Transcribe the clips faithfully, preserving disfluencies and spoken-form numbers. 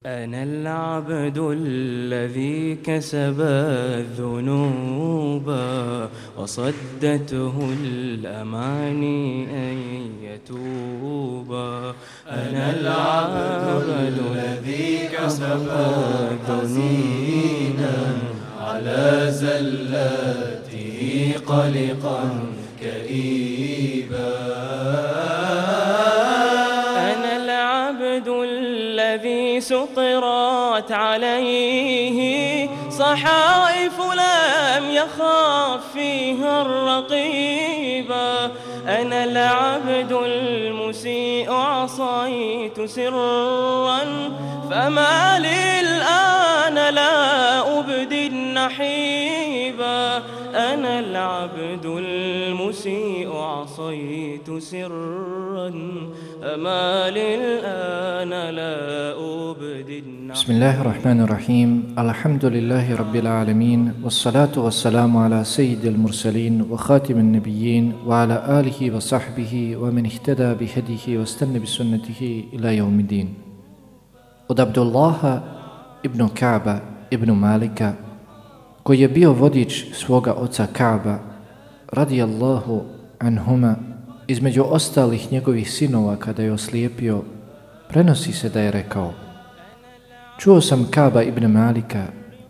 أنا العبد الذي كسب الذنوب وصدته الأماني أن يتوب. أنا العبد الذي كسب الذنوب على زلاته قلقا كئيبا. أنا العبد الذي سطرت عليه صحائف لم يخاف فيها الرقيبا. أنا العبد المسيء عصيت سرا فما لي الآن لا أبدي النحيبا. أنا العبد المسيء عصيت سرا فما لي الآن لا أبدي النحيبا. بسم الله الرحمن الرحيم. الحمد لله رب العالمين، والصلاة والسلام على سيد المرسلين وخاتم النبيين وعلى آله وصحبه ومن اهتدى بهديه واستنى بسنته إلى يوم الدين. Od Abdullaha ibn Ka'ba ibn Malika, koji je bio vodič svoga oca Ka'ba radijallahu anhuma, između ostalih njegovih sinova kada je oslijepio, prenosi se da je rekao: čuo sam Ka'ba ibn Malika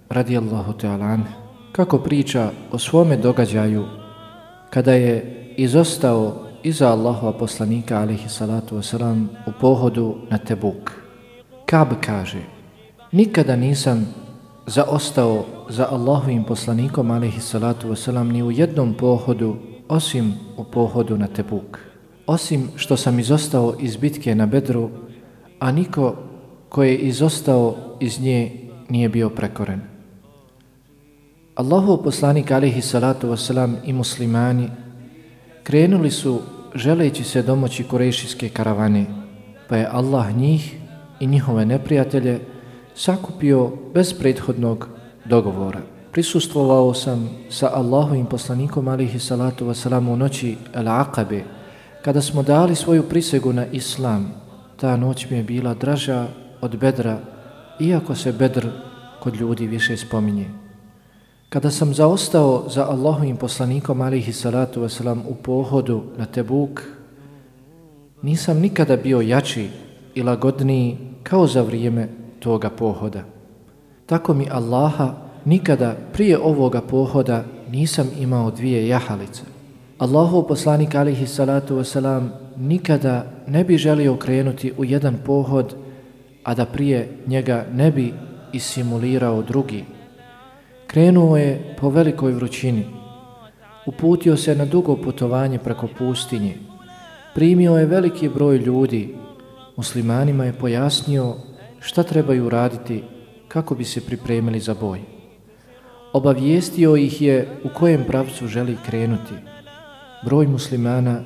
radijallahu ta'ala anh kako priča o svome događaju kada je izostao iza Allahova poslanika alejhi salatu wasalam u pohodu na Tebuk. Ka'b kaže: nikada nisam zaostao za Allahovim poslanikom alejhi salatu wasalam ni u jednom pohodu osim u pohodu na Tebuk, osim što sam izostao iz bitke na Bedru, a niko ko je izostao iz nje nije bio prekoren. Allahov poslanik alejhi salatu wasalam i muslimani krenuli su želeći se domoći kurejšijske karavane, pa je Allah njih i njihove neprijatelje sakupio bez prethodnog dogovora. Prisustvovao sam sa Allahovim poslanikom alejhi salatu wasalam u noći Al-Aqabe, kada smo dali svoju prisegu na Islam. Ta noć mi je bila draža od Bedra, iako se Bedr kod ljudi više spominje. Kada sam zaostao za Allahovim poslanikom alejhi salatu wasalam u pohodu na Tebuk, nisam nikada bio jači i lagodniji kao za vrijeme toga pohoda. Tako mi Allaha, nikada prije ovoga pohoda nisam imao dvije jahalice. Allahov poslanik alejhi salatu wasalam nikada ne bi želio krenuti u jedan pohod, a da prije njega ne bi isimulirao drugi. Krenuo je po velikoj vrućini, uputio se na dugo putovanje preko pustinje, primio je veliki broj ljudi, muslimanima je pojasnio šta trebaju raditi kako bi se pripremili za boj. Obavijestio ih je u kojem pravcu želi krenuti. Broj muslimana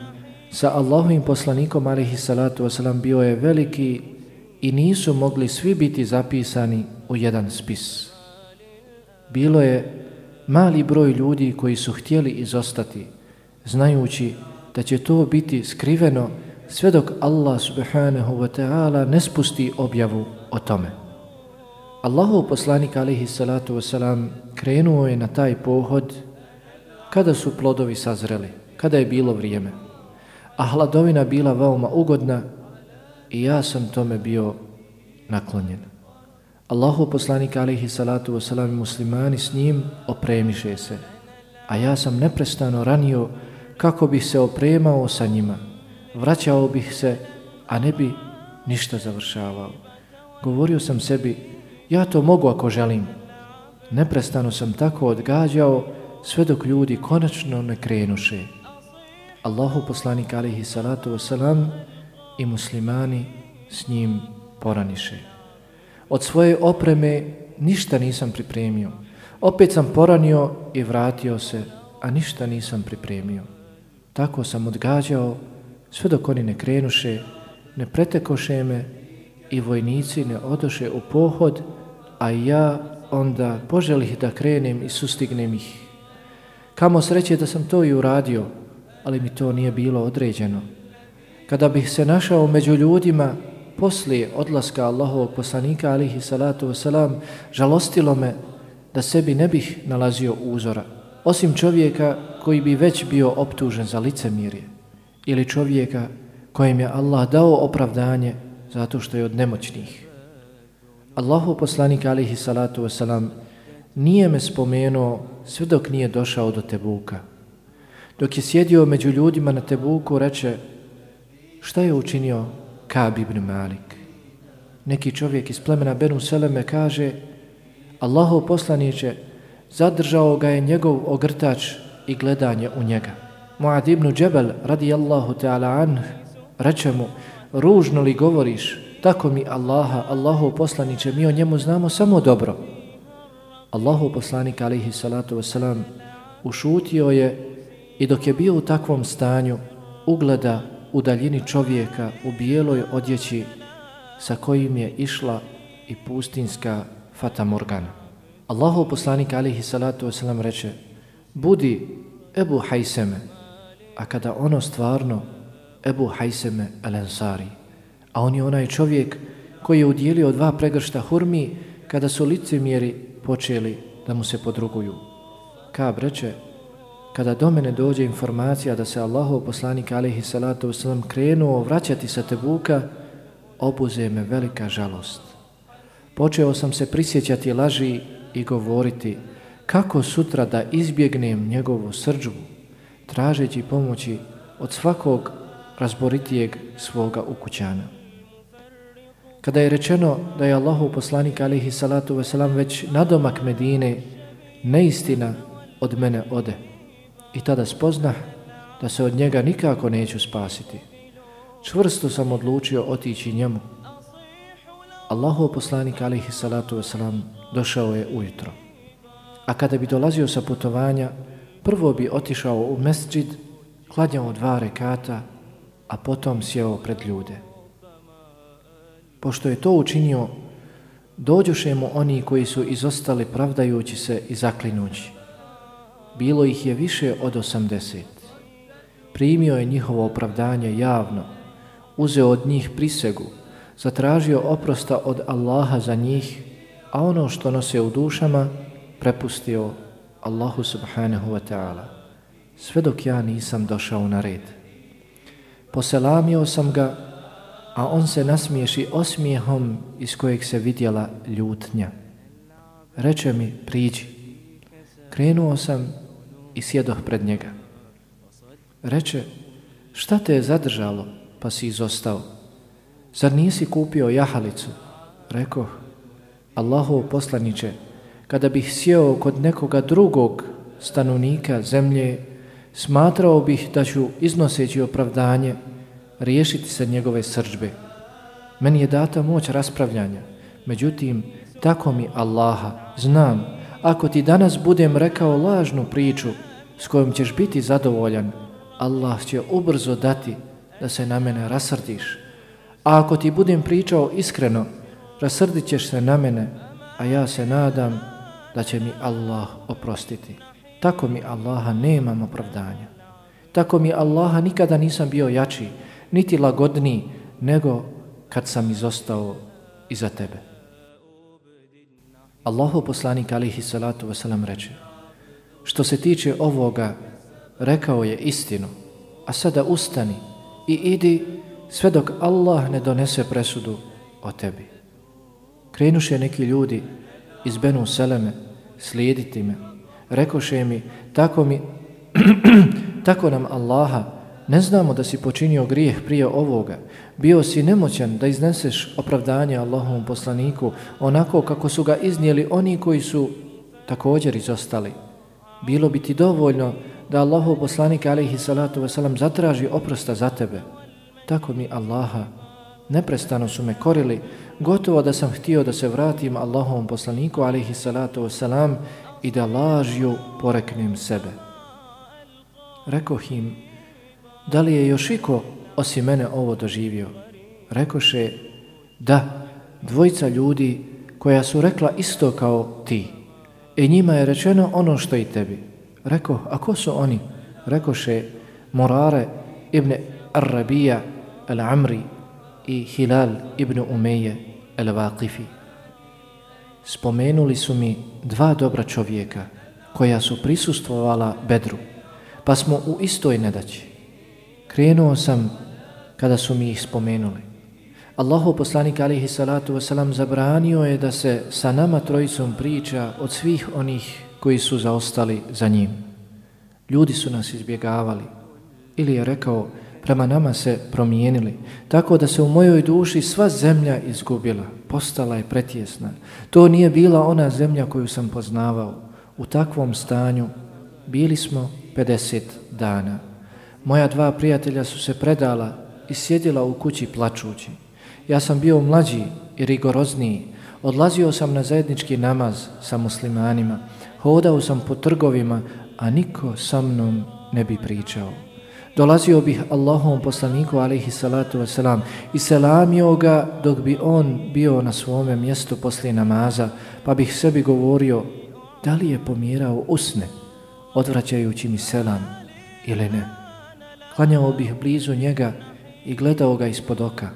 sa Allahovim poslanikom alejhi salatu wasalam bio je veliki i nisu mogli svi biti zapisani u jedan spis. Bilo je mali broj ljudi koji su htjeli izostati, znajući da će to biti skriveno sve dok Allah subhanahu wa ta'ala ne spusti objavu o tome. Allahov poslanik alejhi salatu wasalam krenuo je na taj pohod kada su plodovi sazreli, kada je bilo vrijeme, a hladovina bila veoma ugodna i ja sam tome bio naklonjen. Allahov poslanik alejhi salatu wasalam i muslimani s njim opremiše se, a ja sam neprestano ranio kako bih se opremao sa njima. Vraćao bih se, a ne bi ništa završavao. Govorio sam sebi, ja to mogu ako želim. Neprestano sam tako odgađao sve dok ljudi konačno ne krenuše. Allahov poslanik alejhi salatu wasalam i muslimani s njim poraniše. Od svoje opreme ništa nisam pripremio. Opet sam poranio i vratio se, a ništa nisam pripremio. Tako sam odgađao sve dok oni ne krenuše, ne pretekoše me i vojnici ne odoše u pohod, a ja onda poželih da krenem i sustignem ih. Kamo sreće da sam to i uradio, ali mi to nije bilo određeno. Kada bih se našao među ljudima, poslije odlaska Allahovog poslanika alihi salatu wasalam žalostilo me da sebi ne bih nalazio uzora, osim čovjeka koji bi već bio optužen za licemirje ili čovjeka kojem je Allah dao opravdanje zato što je od nemoćnih. Allahov poslanik alihi salatu wasalam nije me spomenuo sve dok nije došao do Tebuka. Dok je sjedio među ljudima na Tebuku, reče: šta je učinio Ka'b ibn Malik? Neki čovjek iz plemena Benu Seleme kaže: Allahov poslaniče, zadržao ga je njegov ogrtač i gledanje u njega. Muad ibn Džebel radijallahu ta'ala anh reče mu: ružno li govoriš, tako mi Allaha, Allahov poslaniče, mi o njemu znamo samo dobro. Allahov poslanik alihi salatu wasalam ušutio je i dok je bio u takvom stanju ugleda u daljini čovjeka u bijeloj odjeći sa kojim je išla i pustinska Fata Morgana. Allahov poslanik alihi salatu wasalam reče: budi Ebu Hajseme, a kada ono stvarno Ebu Hajseme el-Ensari, a on je onaj čovjek koji je udjelio dva pregršta hurmi kada su licemjeri počeli da mu se podruguju. Ka'b reče: kada do mene dođe informacija da se Allahov poslanik alihi salatu wasalam krenuo vraćati sa Tebuka, obuze me velika žalost. Počeo sam se prisjećati laži i govoriti kako sutra da izbjegnem njegovu srdžbu, tražeći pomoći od svakog razboritijeg svoga ukućana. Kada je rečeno da je Allahov poslanik alihi salatu wasalam već nadomak Medine, neistina od mene ode. I tada spoznah da se od njega nikako neću spasiti. Čvrsto sam odlučio otići njemu. Allahov poslanik alihi salatu wasalam došao je ujutro. A kada bi dolazio sa putovanja, prvo bi otišao u mesdžid, klanjao dva rekata, a potom sjeo pred ljude. Pošto je to učinio, dođoše mu oni koji su izostali pravdajući se i zaklinući. Bilo ih je više od osamdeset. Primio je njihovo opravdanje javno, uzeo od njih prisegu, zatražio oprosta od Allaha za njih, a ono što nose u dušama prepustio Allahu subhanahu wa ta'ala, sve dok ja nisam došao na red. Poselamio sam ga, a on se nasmiješi osmijehom iz kojeg se vidjela ljutnja. Reče mi: priđi. Krenuo sam i sjedoh pred njega. Reče: šta te je zadržalo pa si izostao? Zar nisi kupio jahalicu? Rekoh: Allahov poslaniče, kada bih sjeo kod nekoga drugog stanovnika zemlje, smatrao bih da ću, iznoseći opravdanje, riješiti se njegove srdžbe. Meni je data moć raspravljanja, međutim, tako mi Allaha, znam, ako ti danas budem rekao lažnu priču s kojom ćeš biti zadovoljan, Allah će ubrzo dati da se na mene rasrdiš. A ako ti budem pričao iskreno, rasrdit ćeš se na mene, a ja se nadam da će mi Allah oprostiti. Tako mi Allaha nemam opravdanja. Tako mi Allaha nikada nisam bio jači, niti lagodniji, nego kad sam izostao iza tebe. Allahov poslanik alihi salatu wasalam reče: što se tiče ovoga, rekao je istinu, a sada ustani i idi sve dok Allah ne donese presudu o tebi. Krenuše neki ljudi iz Benu Seleme slijediti me. Rekoše mi: tako mi, tako nam Allaha, ne znamo da si počinio grijeh prije ovoga. Bio si nemoćan da izneseš opravdanje Allahovom poslaniku onako kako su ga iznijeli oni koji su također izostali. Bilo bi ti dovoljno da Allahov poslanik alejhi salatu vesselam zatraži oprosta za tebe. Tako mi Allaha, neprestano su me korili, gotovo da sam htio da se vratim Allahovom poslaniku alejhi salatu vesselam i da lažju poreknem sebe. Rekoh im: da li je još iko osim mene ovo doživio? Rekoše: da, dvojica ljudi koja su rekla isto kao ti. I njima je rečeno ono što i tebi. Rekoh: a ko su oni? Rekoše: Murare ibn Ar-Rabija al-Amri i Hilal ibn Umeje el-Vaqifi. Spomenuli su mi dva dobra čovjeka koja su prisustvovala Bedru, pa smo u istoj nedaći. Krenuo sam kada su mi ih spomenuli. Allahov poslanik alejhi salatu vesselam zabranio je da se sa nama trojicom priča od svih onih koji su zaostali za njim. Ljudi su nas izbjegavali, ili je rekao, prema nama se promijenili, tako da se u mojoj duši sva zemlja izgubila, postala je pretjesna. To nije bila ona zemlja koju sam poznavao. U takvom stanju bili smo pedeset dana. Moja dva prijatelja su se predala i sjedila u kući plačući. Ja sam bio mlađi i rigorozniji. Odlazio sam na zajednički namaz sa muslimanima. Hodao sam po trgovima, a niko sa mnom ne bi pričao. Dolazio bih Allahovom poslaniku alejhi salatu vesselam i selamio ga dok bi on bio na svome mjestu poslije namaza, pa bih sebi govorio da li je pomjerao usne, odvraćajući mi selam ili ne. Klanjao bih blizu njega i gledao ga ispod oka.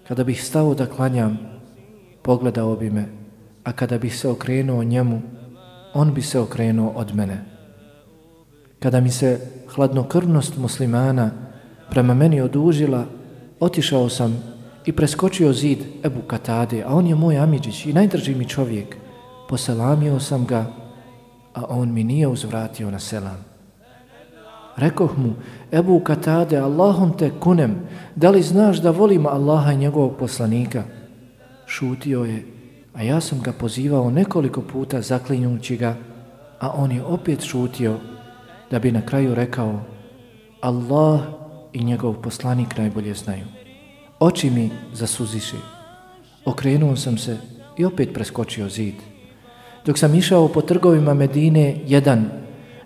Kada bih stao da klanjam, pogledao bi me, a kada bih se okrenuo njemu, on bi se okrenuo od mene. Kada mi se hladnokrvnost muslimana prema meni odužila, otišao sam i preskočio zid Ebu Katade, a on je moj amidžić i najdrži mi čovjek. Poselamio sam ga, a on mi nije uzvratio na selam. Rekoh mu, Ebu Katade, Allahom te kunem, da li znaš da volim Allaha i njegovog poslanika? Šutio je, a ja sam ga pozivao nekoliko puta zaklinjući ga, a on je opet šutio, da bi na kraju rekao, Allah i njegov poslanik najbolje znaju. Oči mi zasuziše. Okrenuo sam se i opet preskočio zid. Dok sam išao po trgovima Medine, jedan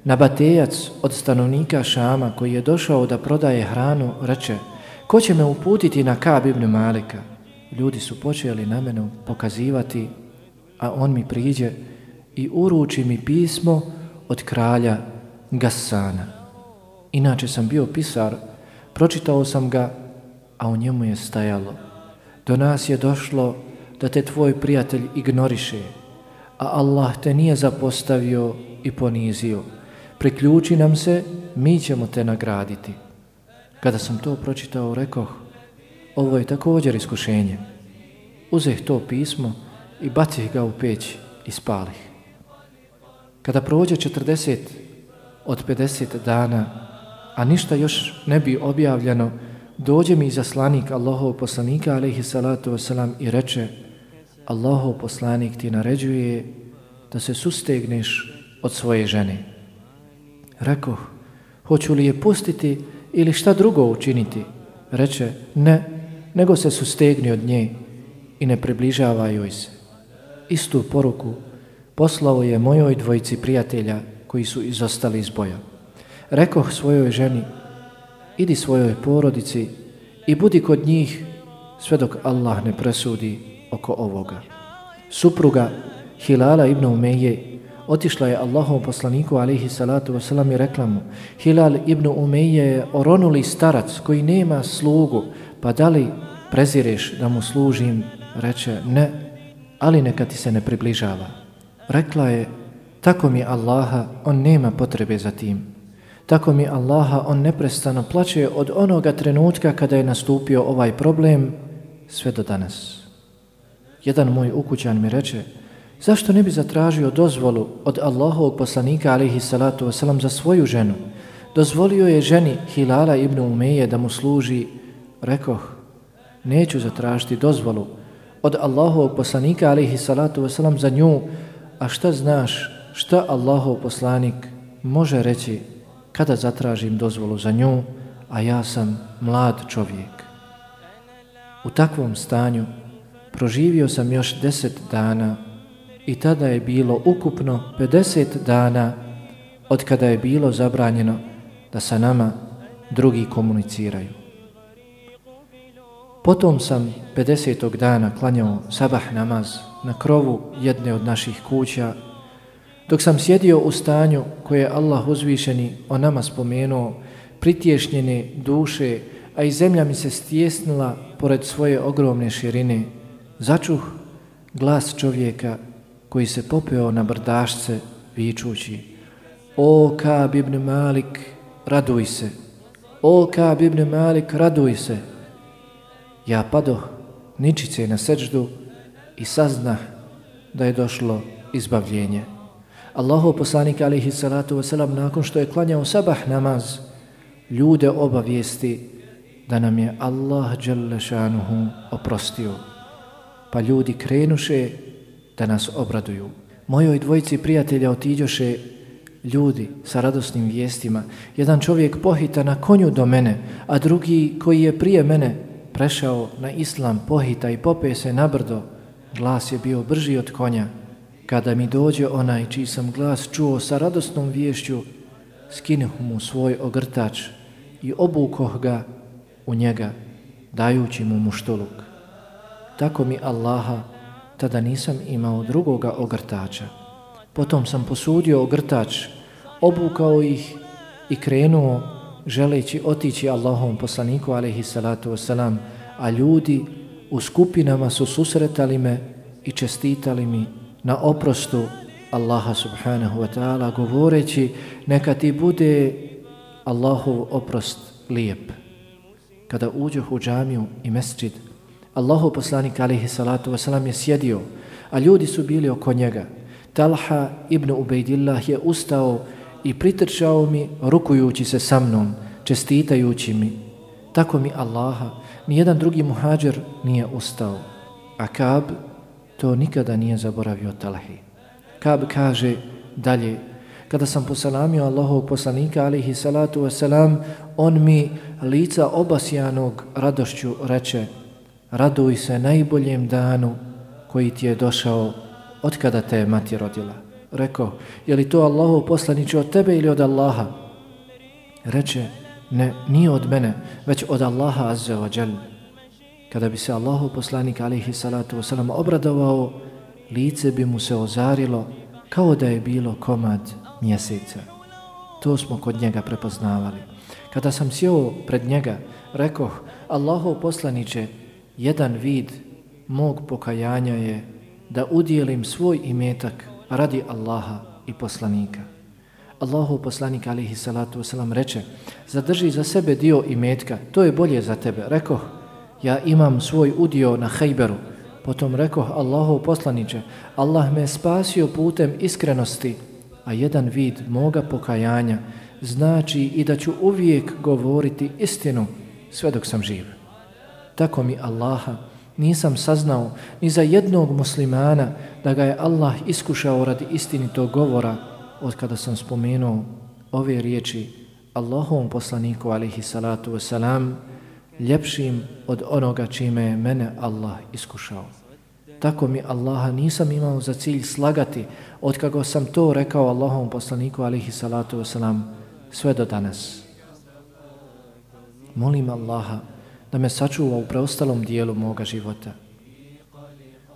nabatejac od stanovnika Šama koji je došao da prodaje hranu, reče, ko će me uputiti na Ka'b ibn Malika? Ljudi su počeli na mene pokazivati, a on mi priđe i uruči mi pismo od kralja Gassana. Inače sam bio pisar, pročitao sam ga, a u njemu je stajalo, do nas je došlo da te tvoj prijatelj ignoriše, a Allah te nije zapostavio i ponizio. Priključi nam se, mi ćemo te nagraditi. Kada sam to pročitao, rekoh, ovo je također iskušenje. Uzeh to pismo i bacih ga u peć i spalih. Kada prođe četrdeset od pedeset dana, a ništa još ne bi objavljeno, dođe mi izaslanik Allahov poslanika alejhi salatu vesselam i reče, Allahov poslanik ti naređuje da se sustegneš od svoje žene. Rekoh, hoću li je pustiti ili šta drugo učiniti? Reče, ne, nego se sustegni od nje i ne približavaj joj se. Istu poruku poslao je mojoj dvojici prijatelja koji su izostali iz boja. Rekoh svojoj ženi, idi svojoj porodici i budi kod njih sve dok Allah ne presudi oko ovoga. Supruga Hilala ibn Umeje otišla je Allahov poslaniku alejhi salatu vesselam i rekla mu, Hilal ibn Umeje je oronuli starac koji nema slugu, pa da li prezireš da mu služim? Reče, ne, ali neka ti se ne približava. Rekla je, tako mi Allaha, on nema potrebe za tim. Tako mi Allaha, on neprestano plače od onoga trenutka kada je nastupio ovaj problem sve do danas. Jedan moj ukućan mi reče, zašto ne bi zatražio dozvolu od Allahovog poslanika alejhi salatu vesselam za svoju ženu? Dozvolio je ženi Hilala ibn Umeje da mu služi. Rekoh, neću zatražiti dozvolu od Allahovog poslanika alejhi salatu vesselam za nju, a šta znaš šta Allahov poslanik može reći kada zatražim dozvolu za nju, a ja sam mlad čovjek. U takvom stanju proživio sam još deset dana i tada je bilo ukupno pedeset dana od kada je bilo zabranjeno da sa nama drugi komuniciraju. Potom sam pedesetog dana klanjao sabah namaz na krovu jedne od naših kuća, dok sam sjedio u stanju koje je Allah uzvišeni o nama spomenuo, pritješnjene duše, a i zemlja mi se stjesnila pored svoje ogromne širine. Začuh glas čovjeka koji se popeo na brdašce vičući: O Ka'b ibn Malik, raduj se! O Ka'b ibn Malik, raduj se! Ja padoh ničice na seđdu i saznah da je došlo izbavljenje. Allahov poslanik alejhi salatu vesselam nakon što je klanjao sabah namaz, ljude obavijesti da nam je Allah dželle šanuhu oprostio. Pa ljudi krenuše da nas obraduju. Mojoj dvojici prijatelja otiđoše ljudi sa radosnim vijestima. Jedan čovjek pohita na konju do mene, a drugi koji je prije mene prešao na islam pohita i pope se na brdo. Glas je bio brži od konja. Kada mi dođe onaj čiji sam glas čuo sa radosnom viješću, skinuh mu svoj ogrtač i obukoh ga u njega, dajući mu muštuluk. Tako mi Allaha, tada nisam imao drugoga ogrtača. Potom sam posudio ogrtač, obukao ih i krenuo želeći otići Allahovom poslaniku alejhi salatu vesselam, a ljudi u skupinama su susretali me i čestitali mi na oprostu Allaha subhanahu wa ta'ala, govoreći: neka ti bude Allahov oprost lijep. Kada uđoh u džamiju i mesdžid, Allahov poslanik alejhi salatu vesselam je sjedio, a ljudi su bili oko njega. Talha ibn Ubejdillah je ustao i pritrčao mi rukujući se sa mnom, čestitajući mi. Tako mi Allaha, nijedan drugi muhađir nije ustao, a Ka'b to nikada nije zaboravio Talhi. Ka'b kaže dalje: kada sam poselamio Allahovog poslanika alejhi salatu vesselam, on mi lica obasjanog radošću reče: raduj se najboljem danu koji ti je došao od kada te je mati rodila. Rekao: je li to Allahov poslaniče od tebe ili od Allaha? Reče: ne, nije od mene, već od Allaha azza wa jal. Kada bi se Allahov poslanik alejhi salatu vesselam obradovao, lice bi mu se ozarilo kao da je bilo komad mjeseca. To smo kod njega prepoznavali. Kada sam sjeo pred njega, rekoh: Allahov poslaniče, jedan vid mog pokajanja je da udijelim svoj imetak radi Allaha i poslanika. Allahov poslanik alejhi salatu vesselam reče: zadrži za sebe dio imetka, to je bolje za tebe. Rekoh: ja imam svoj udio na Hajberu. Potom rekoh: Allahov poslaniče, Allah me spasio putem iskrenosti, a jedan vid moga pokajanja znači i da ću uvijek govoriti istinu sve dok sam živ. Tako mi Allaha, nisam saznao ni za jednog muslimana da ga je Allah iskušao radi istinitog govora od kada sam spomenuo ove riječi Allahovom poslaniku alejhi salatu vesselam, ljepšim od onoga čime je mene Allah iskušao. Tako mi Allaha, nisam imao za cilj slagati od kako sam to rekao Allahovom poslaniku alejhi salatu vesselam sve do danas. Molim Allaha da me sačuva u preostalom dijelu moga života.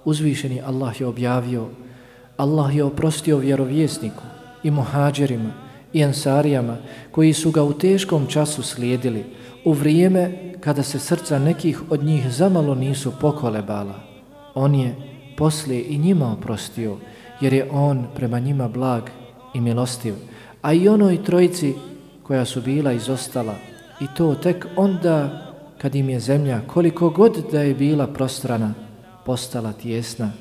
Uzvišeni Allah je objavio: Allah je oprostio vjerovjesniku i muhađirima i ansarijama koji su ga u teškom času slijedili, u vrijeme kada se srca nekih od njih zamalo nisu pokolebala. On je poslije i njima oprostio, jer je on prema njima blag i milostiv, a i onoj trojici koja su bila izostala, i to tek onda kad im je zemlja, koliko god da je bila prostrana, postala tijesna,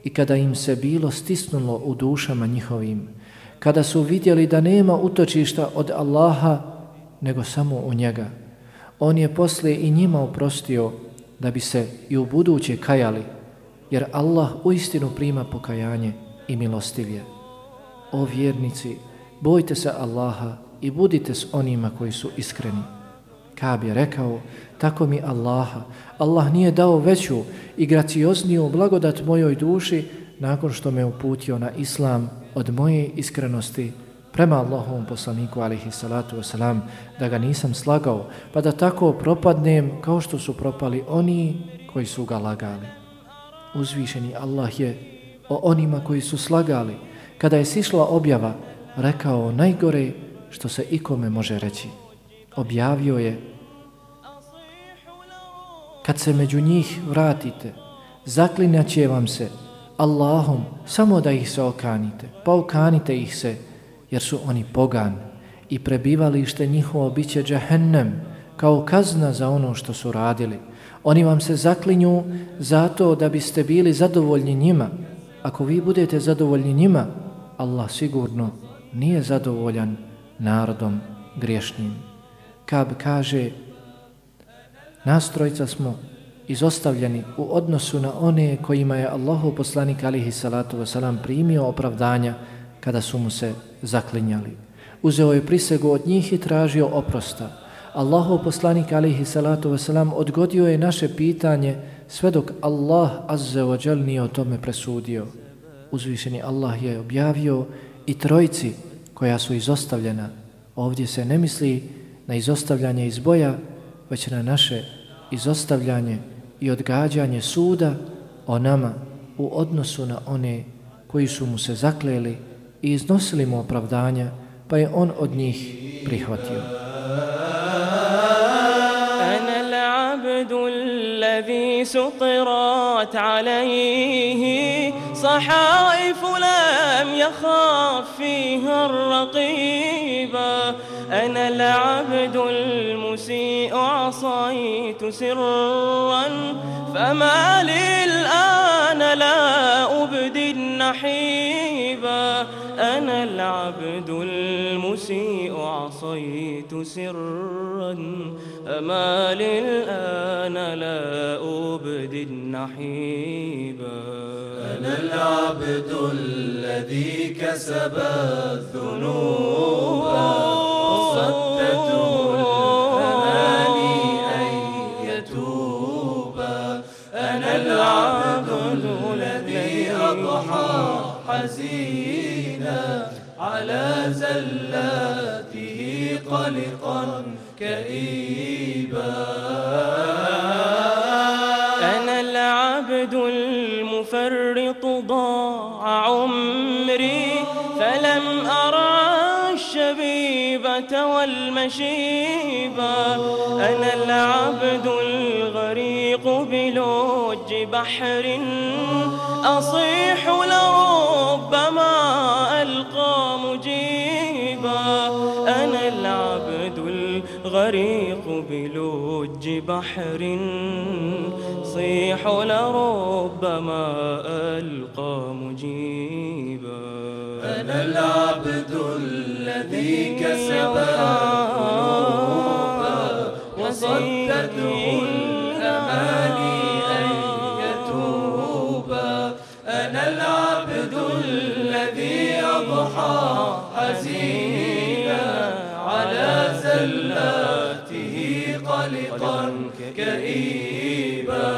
i kada im se bilo stisnulo u dušama njihovim, kada su vidjeli da nema utočišta od Allaha nego samo u njega. On je poslije i njima oprostio da bi se i u buduće kajali, jer Allah uistinu prima pokajanje i milostiv je. O vjernici, bojte se Allaha i budite s onima koji su iskreni. Ka'b je rekao: tako mi Allaha, Allah nije dao veću i graciozniju blagodat mojoj duši nakon što me uputio na islam od moje iskrenosti prema Allahovom poslaniku alejhi salatu vesselam, da ga nisam slagao, pa da tako propadnem kao što su propali oni koji su ga lagali. Uzvišeni Allah je o onima koji su slagali, kada je sišla objava, rekao najgore što se ikome može reći. Objavio je: kad se među njih vratite, zaklinjat će vam se Allahom samo da ih se okanite, pa okanite ih se, jer su oni pogan i prebivalište njihovo bit će džehennem, kao kazna za ono što su radili. Oni vam se zaklinju zato da biste bili zadovoljni njima. Ako vi budete zadovoljni njima, Allah sigurno nije zadovoljan narodom griješnim. Kab kaže, nas trojica smo izostavljeni u odnosu na one kojima je Allahov poslanik alihi salatu wasalam primio opravdanja kada su mu se zaklinjali. Uzeo je prisegu od njih i tražio oprosta. Allahov poslanik alihi salatu wasalam odgodio je naše pitanje sve dok Allah azza wa jal nije o tome presudio. Uzvišeni Allah je objavio i trojici koja su izostavljena. Ovdje se ne misli na izostavljanje iz boja, već na naše izostavljanje i odgađanje suda o nama u odnosu na one koji su mu se zakleli i iznosili mu opravdanja, pa je on od njih prihvatio. الذي سطرت عليه صحائف لم يخاف فيها الرقيبا أنا العبد المسيء عصيت سرا فما لي الآن لا أبدي النحيبا أنا العبد المسيء عصيت سرا فما لي الآن لا أبدي النحيبا أنا العبد الذي كسب الذنوب وصدته الأماني أن يتوبا أنا العبد الذي أضحى حزينا على زلاته قلقا كئيبا أنا العبد المفرط ضاع عمري فلم أرى الشبيبة والمشيبة أنا العبد الغريق بلوج بحر أصيح لربما ألقى مجيبا أنا العبد الغريق بلوج بحر صيح لربما ألقى مجيبا أنا العبد الذي كسب الذنوب وصدته الأماني أن يتوبا أنا العبد الذي أضحى حزينا على زلاته قلقا كئيبا